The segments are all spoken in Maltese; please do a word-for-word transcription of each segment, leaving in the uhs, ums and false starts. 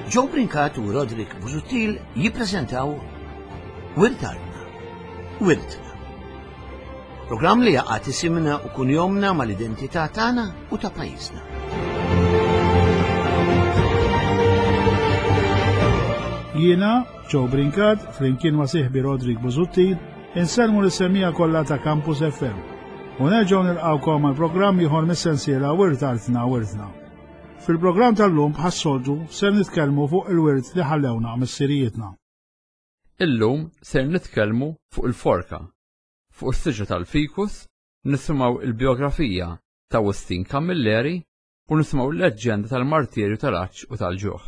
Joe Brincat u Roderick Busuttil jippreżentaw Wirt Artna, Wirtna. Programm li jaqgħad isimna u kunjomna mal-identità tagħna u ta' pajjiżna. Jiena, Joe Brincat, flimkien ma' sieħbi Roderick Busuttil, insellmu lis-semmiegħa kollha ta' Campus F M. U nerġgħu nilqgħukom għal programm ieħor mis-sensiela Wirt Artna Wirtna. Fil-programm tal-lum, bħas-soltu, ser nitkellmu fuq il-wirt li ħallewna missirijietna. Illum ser nitkellmu fuq il-forka, fuq is-siġra tal-fikus, nisimgħu il-biografija ta' Wistin Camilleri u nisimgħu l-leġġenda tal-martirju tal-għatx u tal-ġuħ.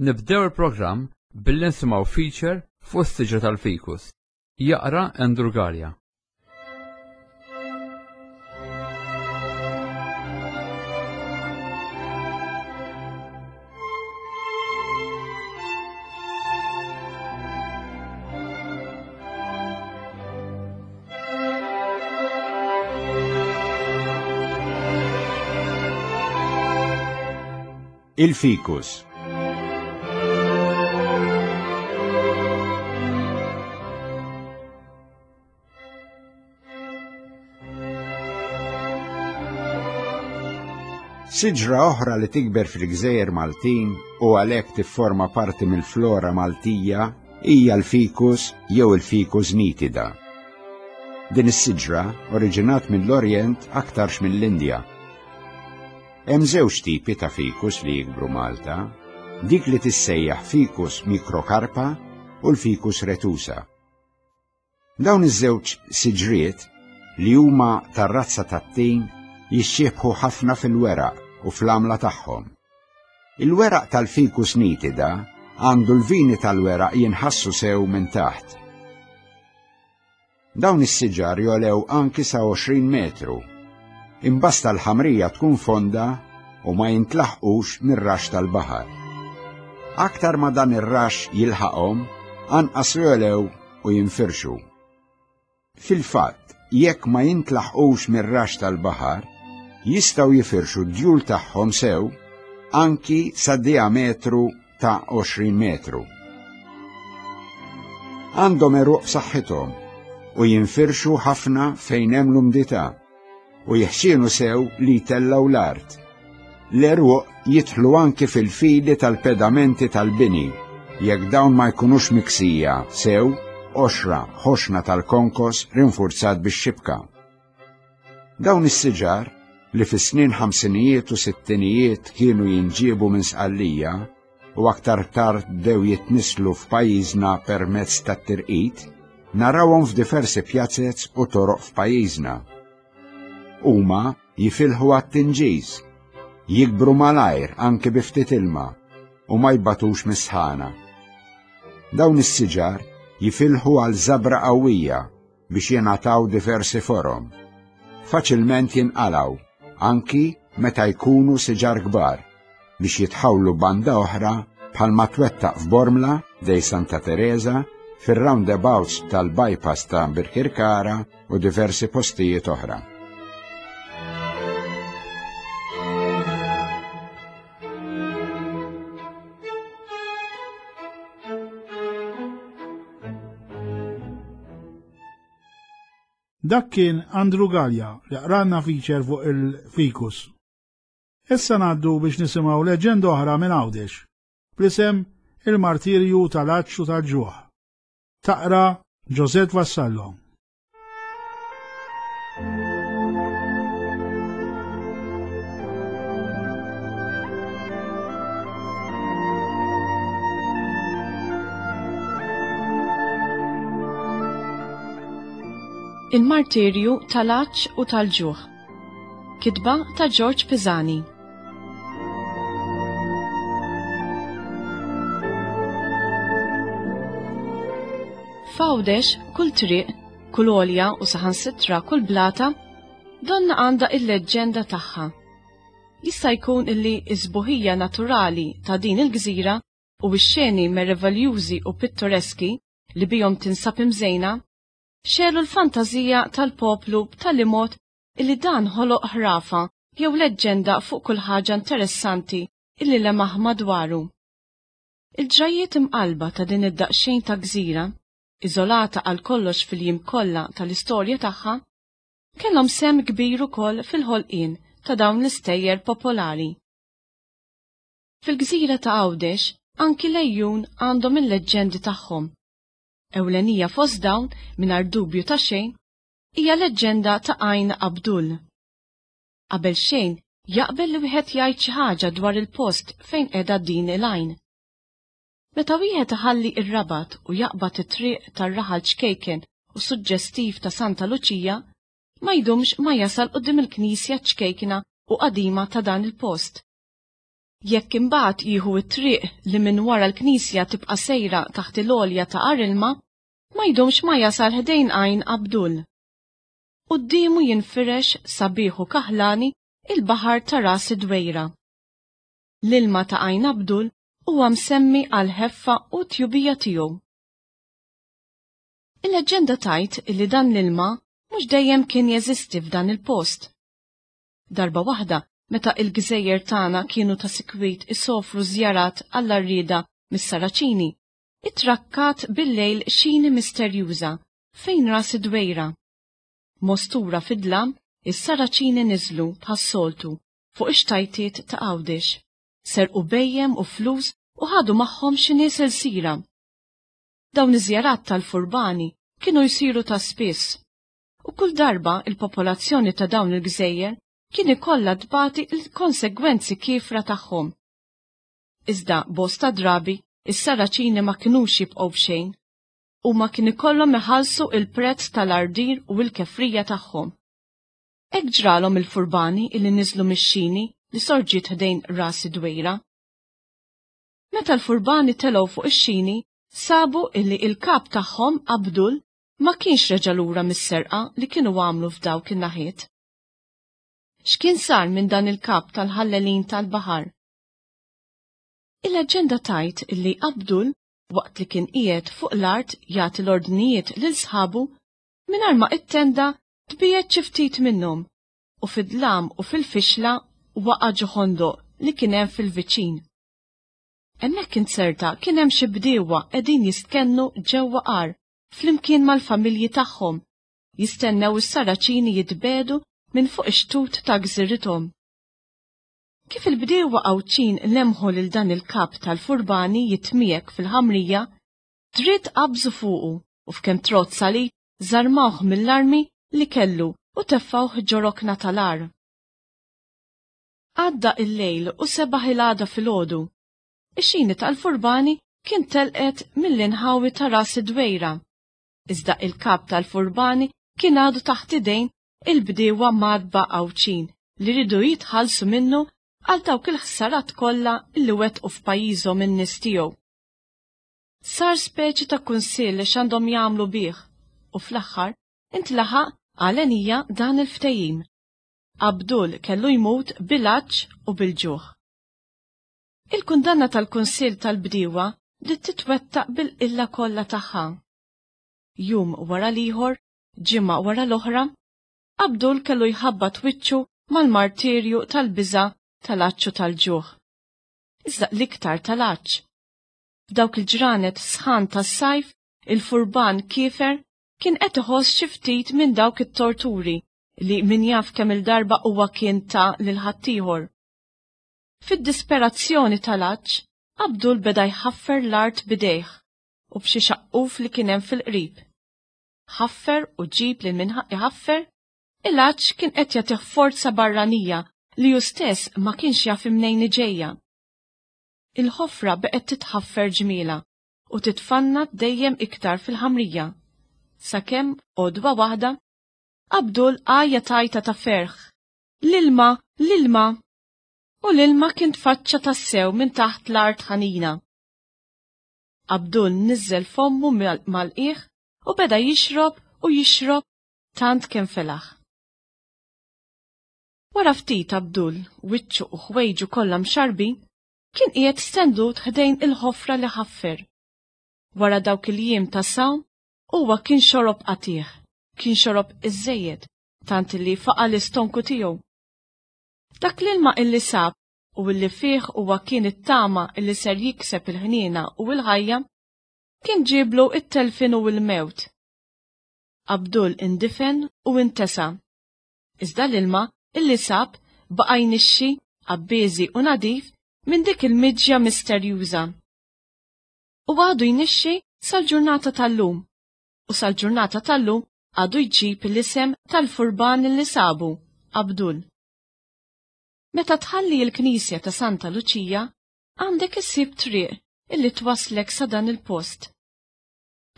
Nibdew il-programm billi nisimgħu feature fuq is-siġra tal-fikus. Jaqra Andrew Gallia. Il-fikus. Siġra oħra li tikber fil-gżejjer Maltin u għalhekk tifforma parti mill-flora Maltija hija l-fikus jew il-ficus nitida. Din is-siġra oriġinat mill-Orjent, aktarx mill-Indja. Hemm żewġ tipi ta' fikus li jikbru Malta, dik li tissejjaħ ficus microcarpa u l-ficus retusa. Dawn iż-żewġ siġriet, li huma tar-razza tat-tin, jixxiebħu ħafna fil-weraq u fl-għamla tagħhom. Il-weraq tal-ficus nitida għandu l-vini tal-weraq jinħassu sew minn taħt. Dawn is-siġar jogħlew anki sa għoxrin metru. Imbasta l-ħamrija tkun fonda u ma jintlaħqux mir-rax tal-baħar. Aktar ma dan ir-rax jilħaqhom, anqas jogħlew u jinfirxu. Fil-fatt, jekk ma jintlaħqux mir-rax tal-baħar, jistgħu jifirxu d-djul tagħhom sew anki sa diametru ta' għoxrin metru. Għandhom għeruq b'saħħithom u jinfirxu ħafna fejn hemm l-umdità u jeħxienu sew li jtellgħu l-art. L-għeruq jidħlu anki fil-fili tal-pedamenti tal-bini, jekk dawn ma jkunux miksija sew qoxra ħoxna tal-konkos rinforzat bix-xibka. Dawn is-siġar, li fis-snin ħamsinijiet u sittinijiet kienu jinġiebu minn Sqallija u aktar tard bdew jitnislu f'pajjiżna permezz tat-tirqit, narawhom f'diversi pjazez u toroq f'pajjiżna. Huma jifilħu għat-tinġiż, jikbru malajr anke bi ftit ilma u ma jbatux mis-sħana. Dawn is-siġar jifilħu għal żabra qawwija biex jingħataw diversi forom. Faċilment jinqalgħu anki meta jkunu siġar kbar biex jitħawlu banda oħra bħalma twettaq f'Bormla dej Santa Teresa, fir-roundabouts tal-bypass ta' Birkirkara u diversi postijiet oħra. Dak kien Andrew Gallia li qralna feature fuq il-fikus. Issa ngħaddu biex nisimgħu leġenda oħra minn Għawdex, bl-isem il-martirju tal-għatx u tal-ġuħ. Taqra Josette Vassallo. Il-martirju tal-għatx u tal-ġuħ. Kitba ta' George Pisani. F'Għawdex, kull triq, kull għolja u saħansitra kull blata, donna għandha il-leġġenda tagħha. Jista' jkun illi s-sbuħija naturali ta' din il-gżira u x-xeni meraviljużi u pittoreski li bihom tinsab imżejna xelu l-fantazija tal-poplu b'tali mod illi dan ħoloq ħrafa jew leġġenda fuq kull ħaġa interessanti illi lemaħ madwaru. Il-ġrajiet imqalba ta' din id-daqsxejn ta' gżira, iżolata għal kollox fil-jiem kollha tal-istorja tagħha, kellhom sehem kbir ukoll fil-ħolqien ta' dawn l-istejjer popolari. Fil-gżira ta' Għawdex anki l-għejun għandhom il-leġġendi tagħhom. Ewlenija fost dawn, mingħajr dubju ta' xejn, hija leġġenda ta' Għajn Abdul. Qabel xejn jaqbel li wieħed jgħid xi ħaġa dwar il-post fejn qiegħda din il-għajn. Meta wieħed iħalli r-Rabat u jaqbad it-triq tar-raħal ċkejken u suġġestiv ta' Santa Luċija, ma jdumx ma jasal quddiem il-knisja ċkejkna u qadima ta' dan il-post. Jekk imbagħad jieħu t-triq li minn wara l-knisja tibqa' sejra taħt il-għolja ta' Għar Ilma, ma jdumx ma jasal ħdejn Għajn Abdul. Quddiemu jinfirex sabiħ u kaħlani il-baħar ta' Ras id-Dwejra. L-ilma ta' Għajn Abdul huwa msemmi għal ħeffa u tjubija tiegħu. Il-leġġenda tgħid illi dan l-ilma mhux dejjem kien jeżisti f'dan il-post. Darba waħda, meta il-gżejjer tagħna kienu ta' sikwit isofru żjarat għall-għarrieda mis-Saraċini, ittrakkat bil-lejl xini misterjuża fejn Ras id-Dwejra. Mostura fid-dlam, is-Saraċini niżlu bħas-soltu fuq ix-xtajtiet ta' Għawdex, serqu bhejjem u flus u ħadu magħhom xi nies ilsira. Dawn iż-żjarat tal-furbani kienu jsiru ta' spiss, u kull darba il-popolazzjoni ta' dawn il-gżejjer kien ikollha tbati l-konsegwenzi kiefra tagħhom. Iżda bosta drabi is-Saraċini ma kinux jibqgħu b'xejn, u ma kien ikollhom iħallsu il-prezz tal-ardir u l-kefrija tagħhom. Hekk ġralhom il-furbani illi niżlu mix-xini li sorġiet ħdejn Ras id-Dwejra. Meta l-furbani telgħu fuq ix-xini, sabu illi il-kap tagħhom Abdul ma kienx reġa' lura mis-serqa li kienu għamlu f'dawk in-naħiet. X'kien sar minn dan il-kap tal-ħallelin tal-baħar? Il-leġġenda tgħid illi Abdul, waqt li kien qiegħed fuq l-art jagħti l-ordnijiet lil sħabu, mingħajr ma ittenda tbiegħed xi ftit minnhom u fid-dlam u fil-fixla waqa' ġo ħondoq li kien hemm fil-viċin. Hemmhekk inzerta kien hemm xi bdiewa qegħdin jistkennu ġewwa għar flimkien mal-familji tagħhom, jistennew is-Saraċini jitbedu minn fuq ix-xtut ta' gżirithom. Kif il-bdiewa Għawdxin lemħu lil dan il-kap tal-furbani jitmiegħek fil-ħamrija, dritt qabżu fuqu u f'kemm trott salib żarmawh mill-armi li kellu u teffawh ġo rokna tal-għar. Għadda il-lejl u sebaħ il-għada filgħodu. Ix-xini tal-furbani kien telqet mill-inħawi ta' Ras id-Dwejra. Iżda il-kap tal-furbani kien għadu taħt idejn il-bdiewa madba Għawdxin li ridu jitħallsu minnu għal dawk il-ħsarat kollha li wettqu f'pajjiżhom in-nies tiegħu. Sar speċi ta' kunsill x'għandhom jagħmlu bih u fl-aħħar intlaħaq għalenija dan il-ftehim. Abdul kellu jmut bil-għatx u bil-ġuħ. Il-kundanna tal-kunsill tal-bdiewa bdiet titwettaq bil-qilla kollha tagħha. Jum wara l-ieħor, ġimgħa wara l-oħra, Abdul kellu jħabbat wiċċu mal-martirju tal-biża' tal-għatx u tal-ġuħ. Iżda l-iktar tal-għatx. F'dawk il-ġranet sħan tas-sajf, il-furban kiefer kien qed iħoss xi ftit minn dawk it-torturi li min jaf kemm il-darba huwa kien ta' lil ħaddieħor. Fid-disperazzjoni tal-għatx, Abdul beda jħaffer l-art bidejh u b'xi xaqquf li kien hemm fil-qrib. Ħaffer u ġib lil min iħaffer, il-għatx kien qed jagħtih forza barranija li hu stess ma kienx jaf imnejn ġejja. Il-ħofra beqgħet titħaffer ġmiela u titfanna dejjem iktar fil-ħamrija. Sakemm għodwa waħda, Abdul għajja tajta ta' ferħ. L-ilma, l-ilma! U l-ilma kien tfaċċa tassew minn taħt l-art ħanina. Abdul niżel fommu mal-qiegħ u beda jixrob u jixrob tant kemm felaħ. Wara ftit Abdul, wiċċu u ħwejġu kollha mxarbin, kien qiegħed stendut ħdejn il-ħofra li ħaffer. Wara dawk il-jiem ta' sawm, huwa kien xorob qatih, kien xorob iżżejjed, tant li faqa' l-istonku tiegħu. Dak l-ilma illi sab u illi fih huwa kien it-tama illi ser jikseb il-ħniena u l-ħajja, kien ġieblu it-telfien u l-mewt. Abdul indifen u intesa. Iżda l-ilma illi sab baqa' jnixxi abbeżi u nadif minn dik il-miġja misterjuża. U għadu jnixxi sal-ġurnata tal-lum, u sal-ġurnata tal-lum għadu jġib l-isem tal-furban li sabu, Abdul. Meta tħalli l-Knisja ta' Santa Luċija, għandek issib triq illi twaslek sa dan il-post.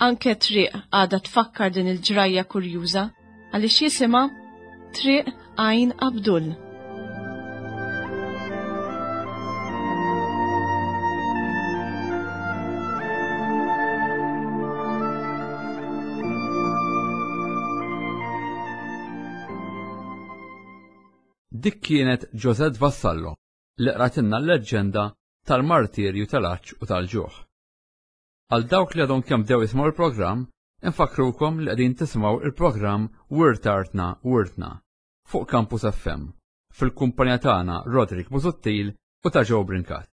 Anke triq għadha tfakkar din il-ġrajja kurjuża għaliex jisimha Triq Għajn Abdul. Dik kienet Josette Vassallo li qratilna l-leġġenda tal-martirju tal-għatx u tal-ġuħ. Għal dawk li għadhom kemm bdew jisimgħu l-programm, infakkrukom li qegħdin tisimgħu il-programm Wirt Artna Wirtna fuq Campus F M fil-kumpanija tagħna Roderick Busuttil u ta' Joe Brincat.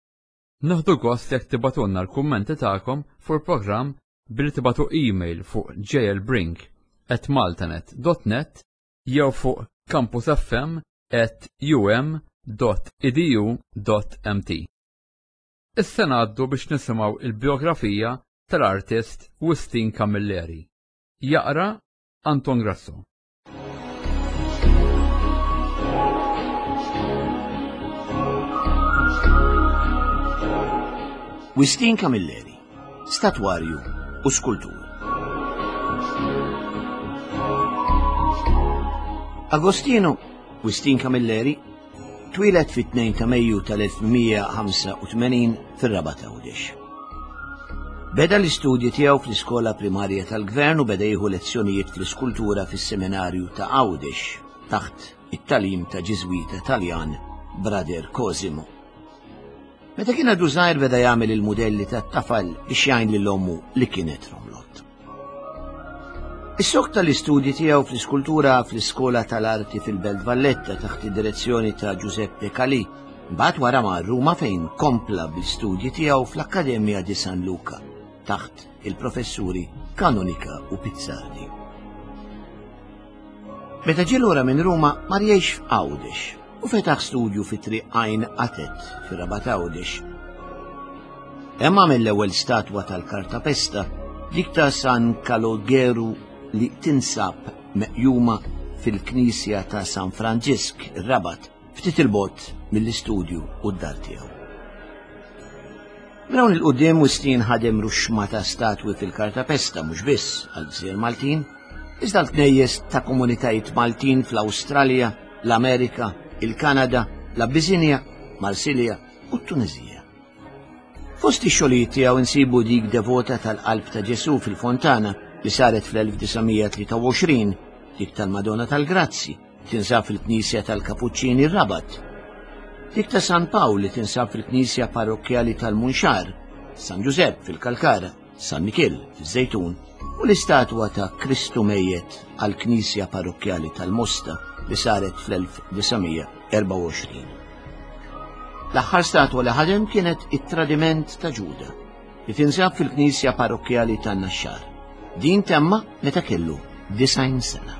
Nieħdu gost jekk tibgħatulna l-kummenti tagħkom fuq il-programm billi tibgħatu email fuq jlbrink at maltanet dot net jew fuq campus f m at u m dot e d u dot m t. Issa ngħaddu biex nisimgħu il-biografija tal-artist Wistin Camilleri. Jaqra Anton Grasso. Wistin Camilleri, statwarju u skultur. Agostino Wistin Camilleri twieled fit-tnejn ta' Mejju tal-elf mija ħamsa u tmenin fir-Rabat Għawdex. Beda l-istudji tiegħu fl-iskola primarja tal-Gvern u beda jieħu lezzjonijiet fl-iskultura fis-seminarju ta' Għawdex taħt it-talim ta' Ġiżwita Taljan Brother Cosimo. Meta kien għadu żgħir beda jagħmel il-mudelli tat-tafal biex jgħin lil ommu li kienet romlot. Is-sok tal-istudji tiegħu fl-iskultura fl-Iskola tal-Arti fil-Belt Valletta taħt id-direzzjoni ta' Giuseppe Calì, mbagħad wara mar Ruma fejn kompla bl-istudji tiegħu fl-Akkademja di San Luca taħt il-professuri Canonica u Pizzardi. Meta ġie lura minn Ruma mar jgħix f'Għawdex u fetaħ studju fi Triq Għajn Qatet fir-Rabat Għawdex. Hemm għamel l-ewwel statwa tal-kartapesta, dik ta' San Kalogeru li tinsab meqjuma fil-Knisja ta' San Franġisk, ir-Rabat, ftit il-bogħod mill-istudju u d-dar tiegħu. Minn hawn il-quddiem Wistin ħadem ruxma ta' statwi fil-kartapesta mhux biss għall-gżejjer Maltin, iżda l-knejjes ta' komunitajiet Maltin fl-Awstralja, l-Amerika, il-Kanada, l-Abbisinja, Marsilja u t-Tunizija. Fost ix-xogħlijiet tiegħu insibu dik devota tal-Qalb ta' Ġesu fil-Fontana li saret fl-elf disa' mija tlieta u għoxrin, dik tal-Madonna tal-Grazzi, tinsab fil-Knisja tal-Kapuċċini r-Rabat, dik ta' San Pawl li tinsab fil-Knisja Parrokkjali tal-Munxar, San Ġużepp fil-Kalkara, San Mikiel fiż-Żejtun u l-istatwa ta' Kristu Mejjet għall-Knisja Parrokkjali tal-Mosta li saret fl-elf disa' mija erbgħa u għoxrin. L-aħħar statwa li ħadem kienet it-Tradiment ta' Ġuda li tinsab fil-Knisja Parrokkjali tan-Naxxar. Din temma meta kellu disgħin sena.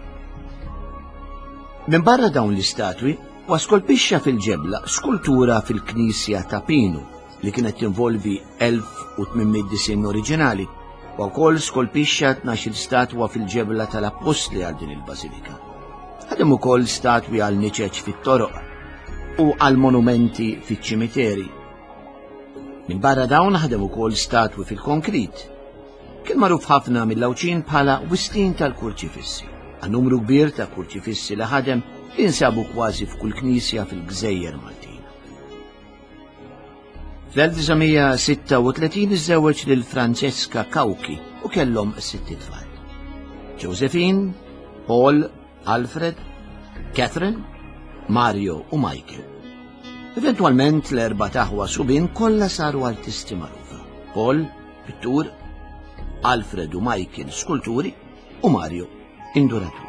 Minn barra dawn l-istatwi, huwa skolpixxa fil-ġebla skultura fil-Knisja ta' Pinu li kienet tinvolvi elf u tmien mitt disinn oriġinali, u wkoll skolpixxa tnax-il statwa fil-ġebla tal-Appostli għal din il-bażilika. Ħadem ukoll statwi għal niċeċ fit-toroq u għal monumenti fiċ-ċimiteri. Minn barra dawn ħadem ukoll statwi fil-konkrit. Kien magħruf ħafna mill-Għawdxin bħala Wistin tal-Kurċifissi, għal numru kbir ta' kurċifissi li ħadem li jinsabu kważi f'kull knisja fil-Gżejjer Maltin. Fl-elf disa' mija sitta u tletin iżżewweġ lil Francesca Cauchi u kellhom sitt itfal. Josephine, Paul, Alfred, Catherine, Mario u Michael. Eventwalment l-erba' taħwa subien kollha saru artisti magħrufa. Paul, pittur, Alfred u Michael skulturi u Mario induratur.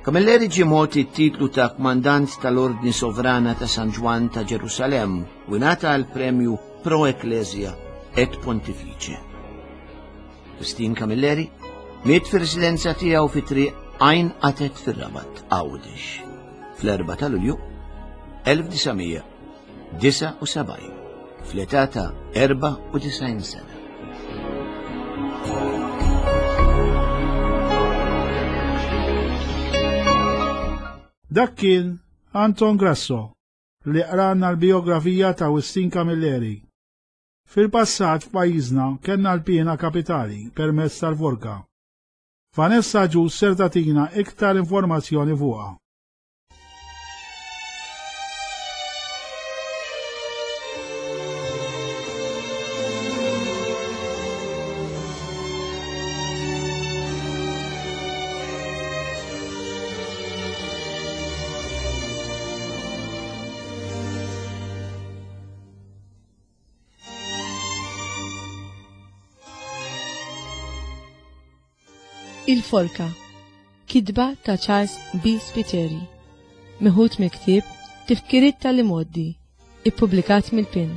Camilleri ġie mogħti t-titlu ta' kmandant tal-Ordni Sovrana ta' San Ġwann ta' Ġerusalemm u ngħata l-premju Pro Ecclesia et Pontifice. Wistin Camilleri miet fir-residenza tiegħu fi triq Għajn Qatet fir-Rabat, Għawdex, fl-erbgħa ta' Lulju elf disa' mija disgħa u sebgħin, fl-età ta' erbgħa u disgħin sena. Dak kien Anton Grasso li qrana l-biografija ta' Wistin Camilleri. Fil-passat f'pajjiżna kellna l-piena kapitali permezz tal-forka. Vanessa Ġus ser tagħtina iktar informazzjoni fuqha. Il-Forka, kitba ta' Charles B. Spiteri, meħud mill-ktieb Tifkiriet tal-Imgħoddi, ippubblikat mill-P I N.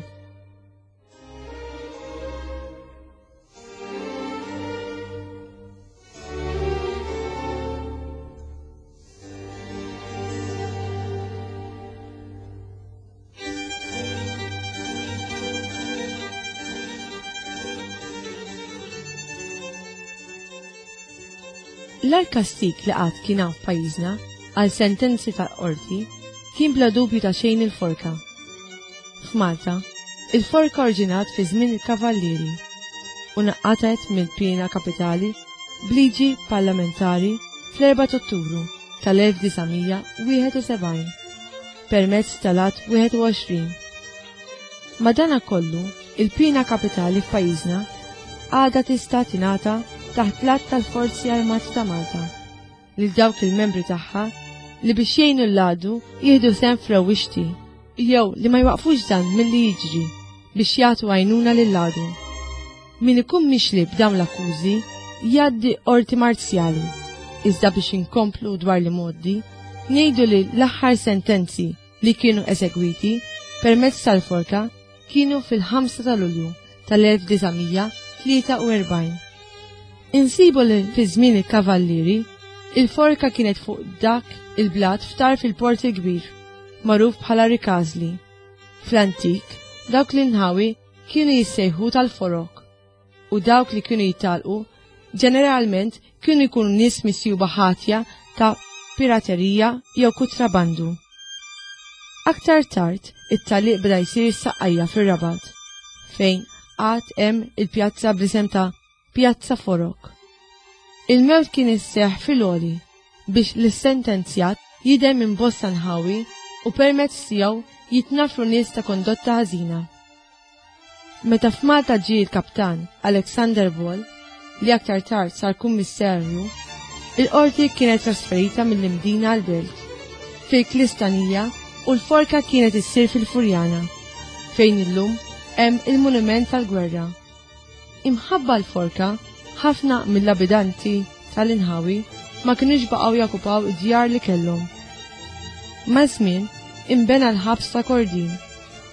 L-agħar kastig li qatt kien hawn f'pajjiżna għal sentenzi tal-qorti kien bla dubju ta' xejn il-forka. F'Malta, il-forka oriġinat fi żmien il-Kavallieri u naqatet mill-piena kapitali b'liġi parlamentari fl-erbgħa ta' Ottubru tal-elf disa' mija wieħed u sebgħin permezz tal-Att wieħed u għoxrin. Madanakollu, il-piena kapitali f'pajjiżna għadha tista' tingħata taħt l-att tal-Forzi Armati ta' Malta lil dawk il-membri tagħha li biex jgħinu l-għadu jieħdu sehem f'rewwixti jew li ma jwaqfux dan milli jiġri biex jagħtu għajnuna lill-għadu. Min ikun mixli b'dawn l-akkużi jgħaddi qorti marzjali, iżda biex inkomplu dwar li moddi, ngħidu li l-aħħar sentenzi li kienu eżegwiti permezz tal-forka kienu fil-ħamsa ta' Lulju tal-elf disa' mija tlieta u erbgħin. Insibu li fi żmien il-Kavallieri, il-forka kienet fuq dak il-blat f'tarf il-Port il-Kbir, magħruf bħala Rikażli. Fl-antik, dawk l-inħawi kienu jissejħu tal-forok, u dawk li kienu jitalqu ġeneralment kienu jkunu nies misjuba ħatja ta' piraterija jew kutrabandu. Aktar tard, it-taliq beda jsir saqqajja fir-Rabat, fejn għad hemm il-pjazza bl-isem ta' Pjazza Forok. Il-mewt kien isseħħ fil-għoli biex l-sentenzjat jidher minn bosta nħawi u permezz tiegħu jitnafru nies ta' kondotta ħażina. Meta f'Malta ġie l-kaptan Alexander Ball, li aktar tard sar kummissarju, il-qorti kienet trasferita mill-Imdina għall-Belt, fil-Klistanija, u l-forka kienet issir fil-Furjana, fejn illum hemm il-Monument tal-Gwerra. Imħabba l-forka, ħafna mill-abitanti tal-inħawi ma kinux baqgħu jakkupaw id-djar li kellhom. Maż-żmien imbena l-ħabs ta' Kordin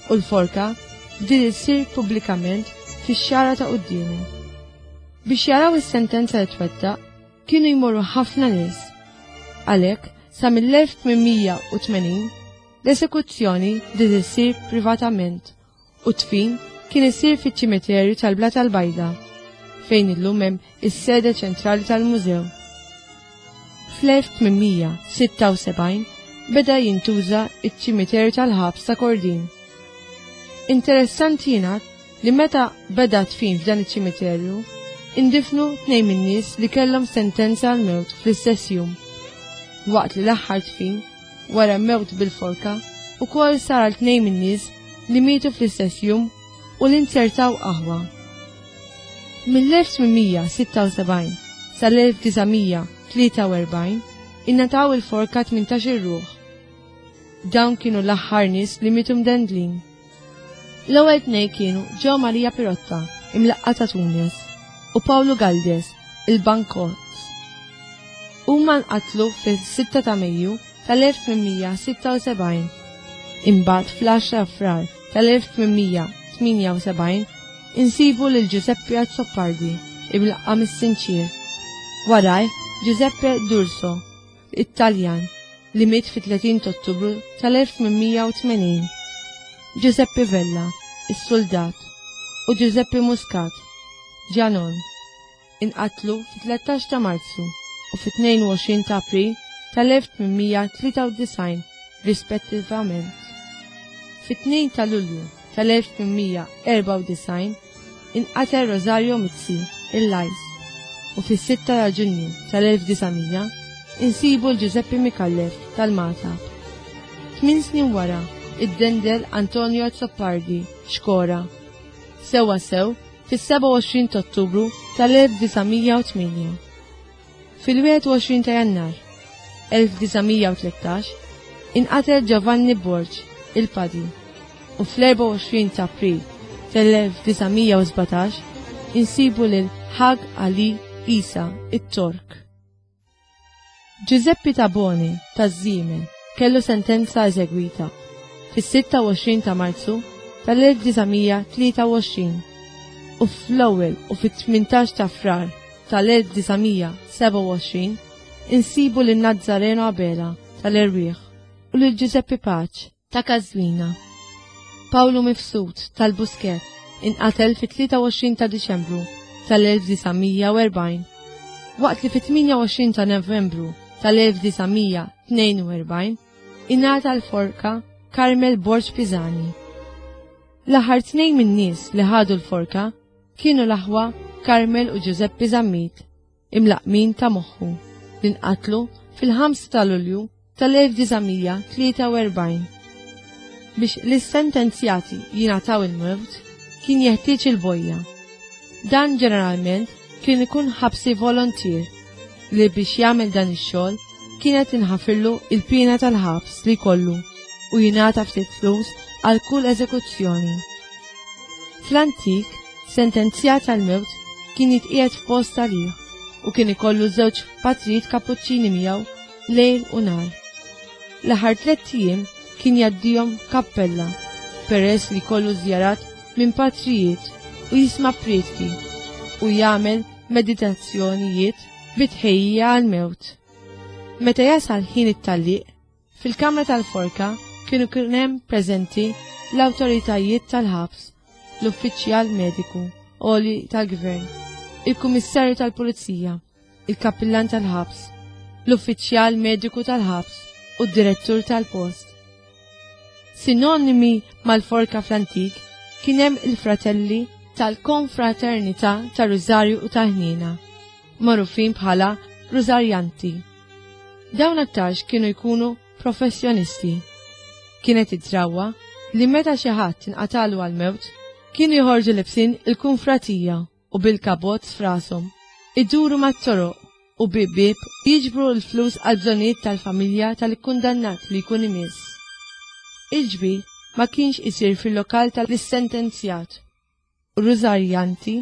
u l-forka bdiet issir pubblikament fix-xara ta' quddiemu. Biex jaraw is-sentenza li twettaq, kienu jmorru ħafna nies. Għalhekk, sa mill-elf tmien mija u tmenin, l-esekuzzjoni bdiet issir privatament u t-tfin kien isir fiċ-ċimiterju tal-Blata l-Bajda, fejn illum hemm is-sede ċentrali tal-mużew. Fl-elf tmien mija sitta u sebgħin beda jintuża iċ-ċimiterju tal-ħabs ta' Kordin. Interessanti jingħad li meta beda tfin f'dan iċ-ċimiterju, indifnu tnejn min-nies li kellhom sentenza għall-mewt fl-istess jum, waqt li l-aħħar tfin wara mewt bil-forka ukoll sar għal tnejn min-nies li mietu fl-istess jum u li nzertaw aħwa. Mill-elf tmien mija sitta u sebgħin sal-elf disa' mija tlieta u erbgħin ingħataw il-forka tmintax-il ruħ. Dawn kienu l-aħħar nies li mietu mdendlin. L-ewwel tnejn kienu Gio Maria Pirotta, imlaqqa ta' Tunis, u Paolo Galdes, il-Bankot. Huma nqatlu fis-sitta ta' Mejju tal-elf tmien mija sitta u sebgħin. Imbagħad fl-għaxra Frar tal-elf tmien mija tmienja u sebgħin insibu lil Giuseppe Azzopardi, imlaqqam is-Sinċir. Waraj Giuseppe D'Urso, Italjan, li miet fit-tletin ta' Ottubru tal-elf tmien mija u tmenin. Giuseppe Vella, is-soldat, u Giuseppe Muscat, Ġanon, inqatlu fit-tlettax ta' Marzu u fit-tnejn u għoxrin ta' April tal-elf tmien mija tlieta u disgħin rispettivament. Fit-tnejn ta' Lulju tal-elf tmien mija erbgħa u disgħin inqatel Rosario Mizzi, il-Lajs, u fis-sitta ta' Ġunju tal-elf disa' mija insibu l-Giuseppe Micallef tal-Magħtab. Tmien snin wara, iddendel Antonio Azzopardi, Xkora, sewa sew fis-sebgħa u għoxrin ta' Ottubru tal-elf disa' mija u tmienja. Fil-wieħed u għoxrin ta' Jannar elf disa' mija u tlettax inqatel Giovanni Borg, il-Padi, u fl-erbgħa u għoxrin ta' April tal-elf disa' mija u sbatax insibu lil Hag Ali Isa, it-Tork. Giuseppe Tabone taż-Żiemel kellu sentenza eżegwita fis-sitta u għoxrin ta' Marzu tal-elf disa' mija tlieta u għoxrin u fl-ewwel u fit-tmintax ta' Frar tal-elf disa' mija sebgħa u għoxrin insibu lil Nazzareno Abela tal-Erwieħ u lil Giuseppe Pace ta' Każwina. Paolo Mifsud tal-Buskett inqatel fit-tlieta u għoxrin ta' Diċembru tal-elf disa' mija u erbgħin, waqt li fit-tmienja u għoxrin ta' Novembru tal-elf disa' mija tnejn u erbgħin ingħata l-forka Carmel Borg Pisani. L-aħħar tnejn min-nies li ħadu l-forka kienu l-aħwa Carmel u Giuseppe Zammit, imlaqmin ta' moħħu, li nqatlu fil-ħamsa ta' Lulju tal-elf disa' mija tlieta u erbgħin. Biex l-sentenzjati jingħataw il-mewt kien jeħtieġ il-bojja. Dan ġeneralment kien ikun ħabsi volontier li biex jagħmel dan ix-xogħol kienet inħafirlu il-pina tal-ħabs li kollu u jingħata ftit flus għal kull eżekuzzjoni. Fl-antik, sentenzjat għal-mewt kien jitqiegħed f'post għalih u kien ikollu żewġ patrijiet kapuċċini miegħu lejl u nhar. L-aħħar tliet ijiem kien jgħaddihom kappella peress li kollu żjarat minn patrijiet u jisma' prietki u jagħmel meditazzjonijiet bitħejja għal-mewt. Meta jasal ħin it-tgħalliq, fil-kamra tal-forka kienu kien hemm preżenti l-awtoritajiet tal-ħabs, l-uffiċjal mediku, għoli tal-gvern, il-kummissarju tal-pulizija, il-kappillan tal-ħabs, l-uffiċjal mediku tal-ħabs u d-direttur tal-post. Sinonimi mal-forka fl-antik kien hemm il-fratelli tal-Konfraternità tar-Rużarju u tal-Ħniena, magħrufin bħala Rużarjanti. Dawn aktarx kienu jkunu professjonisti. Kienet id-drawwa li meta xi ħadd inqatalu għal-mewt, kienu joħorġu libsin il-kunfratija u bil-kabozz f'rashom, iduru mat-toroq u bieb jiġbru l-flus għal bżonnijiet tal-familja tal-kundannat li jkun imiss. Il-ġbir ma kienx isir fil-lokal tal-sentenzjat. U Rużarjanti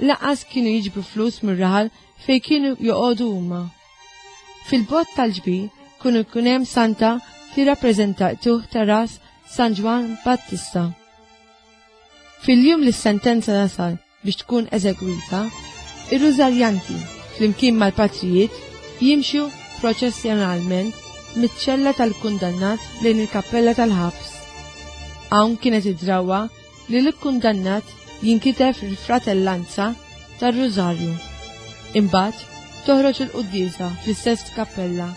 lanqas kienu jiġbru flus mir-raħal fej kienu joqogħdu huma. Fil-bot tal-ġbir kienu jkun hemm santa tirrappreżenta tuħ ta' ras San Ġwann Battista. Fil-jum li s-sentenza tasal biex tkun eżegwita, ir-Rużarjanti flimkien mal-patrijiet jimxu proċessjonalment miċ-ċella tal-kundannat lejn il-kappella tal-ħabs. Hawn kienet id-drawwa li l-kundannat jinkiteb il-fratellanza tar-Rużarju. Imbagħad toħroġ il-quddiesa fl-istess kappella.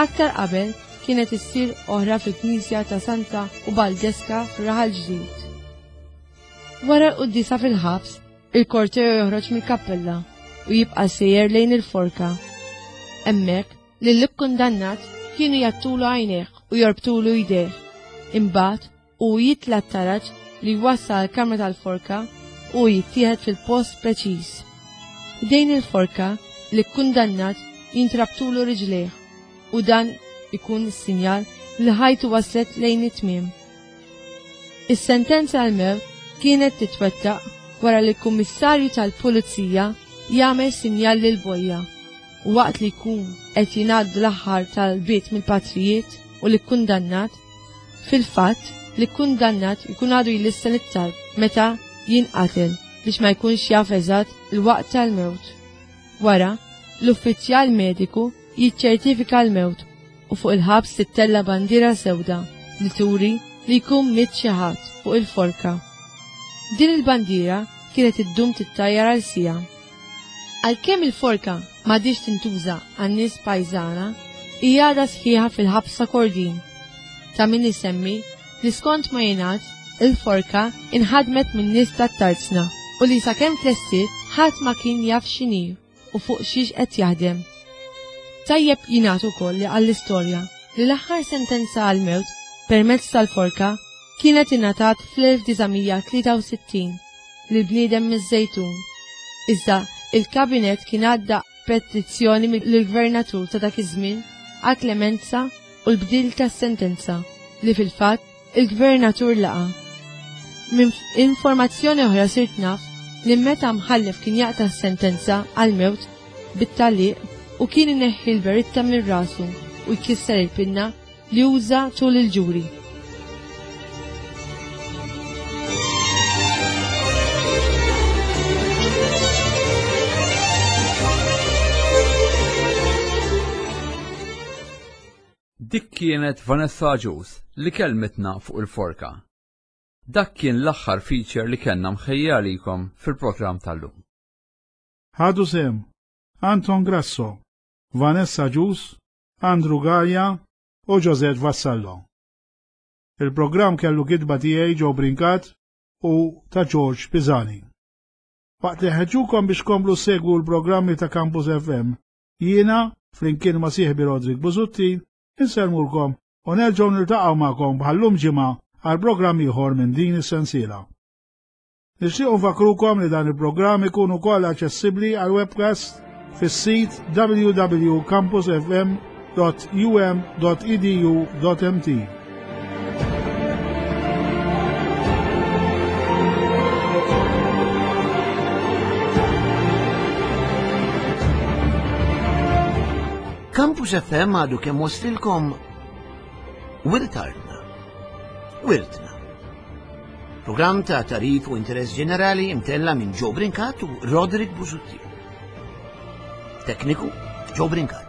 Aktar qabel kienet issir oħra fil-Knisja ta' Santa Ubaldeska f'Raħal Ġdid. Wara l-quddiesa fil-ħabs, il-korteo joħroġ mill-kappella u jibqa' sejjer lejn il-forka. Hemmhekk lill-kundannat kienu jgħattulu għajnejh u jorbtulu jdejh. Imbagħad u jitla' t-taraġ li jwassal għall-kamra tal-forka u jittieħed fil-post preċiż. Ħdejn il-forka l-kundannat jintrabtulu riġlejh u dan ikun is-sinjal li ħajtu waslet lejn it-tmiem. Is-sentenza għal-mewt kienet titwettaq wara li l-kummissarju tal-pulizija jagħmel sinjal lil bojja. U waqt li jkun qed jingħaddu l-aħħar tal-bit mill-patrijiet u li kundannat, fil-fatt li kundannat jkun għadu jlissen it-talb meta jinqatel biex ma jkunx jaf eżatt il-waqt tal-mewt. Wara, l-uffiċjal mediku jiċċertifika l-mewt u fuq il-ħabs tittella bandiera sewda li turi li jkun miet xi ħadd fuq il-forka. Din il-bandiera kienet iddum tittajjar għal siegħa. Għalkemm il-forka m'għadhiex tintuża għan-nies pajżana, hija għadha sħiħa fil-ħabs ta' Kordin. Ta' min isemmi li skont ma jingħad il-forka inħadmet min-nies tat-tarzna u li sakemm tlestiet ħadd ma kien jaf x'inhi u fuq xiex qed jaħdem. Tajjeb jingħad ukoll li għall-istorja li l-aħħar sentenza għall-mewt permezz tal-forka kienet ingħatat fl-elf disa' mija tlieta u sittin lil bniedem miż-Żejtun. Iżda il-kabinet kien għadda petizzjoni lill-gvernatur ta' dak iż-żmien għal klemenza u l-bdil tas-sentenza li fil-fatt il-gvernatur laqa. Minn informazzjoni oħra sirt naf li meta mħallef kien jaqta' s-sentenza għall-mewt bit-taliq u kien ineħħi l-beritta minn rasu u jkisser il-pinna li uża tul il-ġuri. Dik kienet Vanessa Agius li kelmitna fuq il-forka. Dak kien l-aħħar feature li kellna mħejja għalikom fil-programm tal-lum. Ħadu sehem Anton Grasso, Vanessa Agius, Andrew Galea u Josette Vassallo. Il-programm kellu kitba tiegħi Joe Brincat u ta' George Pisani. Waqt li ħeġġukom biex komplu segwu l-programmi ta' Campus F M, jiena, flimkien ma' sieħbi Roderick Busuttil, insellmulkom u nerġgħu niltaqgħu magħkom bħallum ġimgħa għal programm ieħor minn din is-sensiela. Nixtiequ nfakrukom li dan il-programm ikun ukoll aċċessibbli għal webcast fis-sit w w w dot campus f m dot u m dot e d u dot m t. Campus F M għadu kemm waslilkom Wirt Artna, Wirtna. Programm ta' tarif u interess ġenerali imtella minn Joe Brincat u Roderick Busuttil. Tekniku Joe Brincat.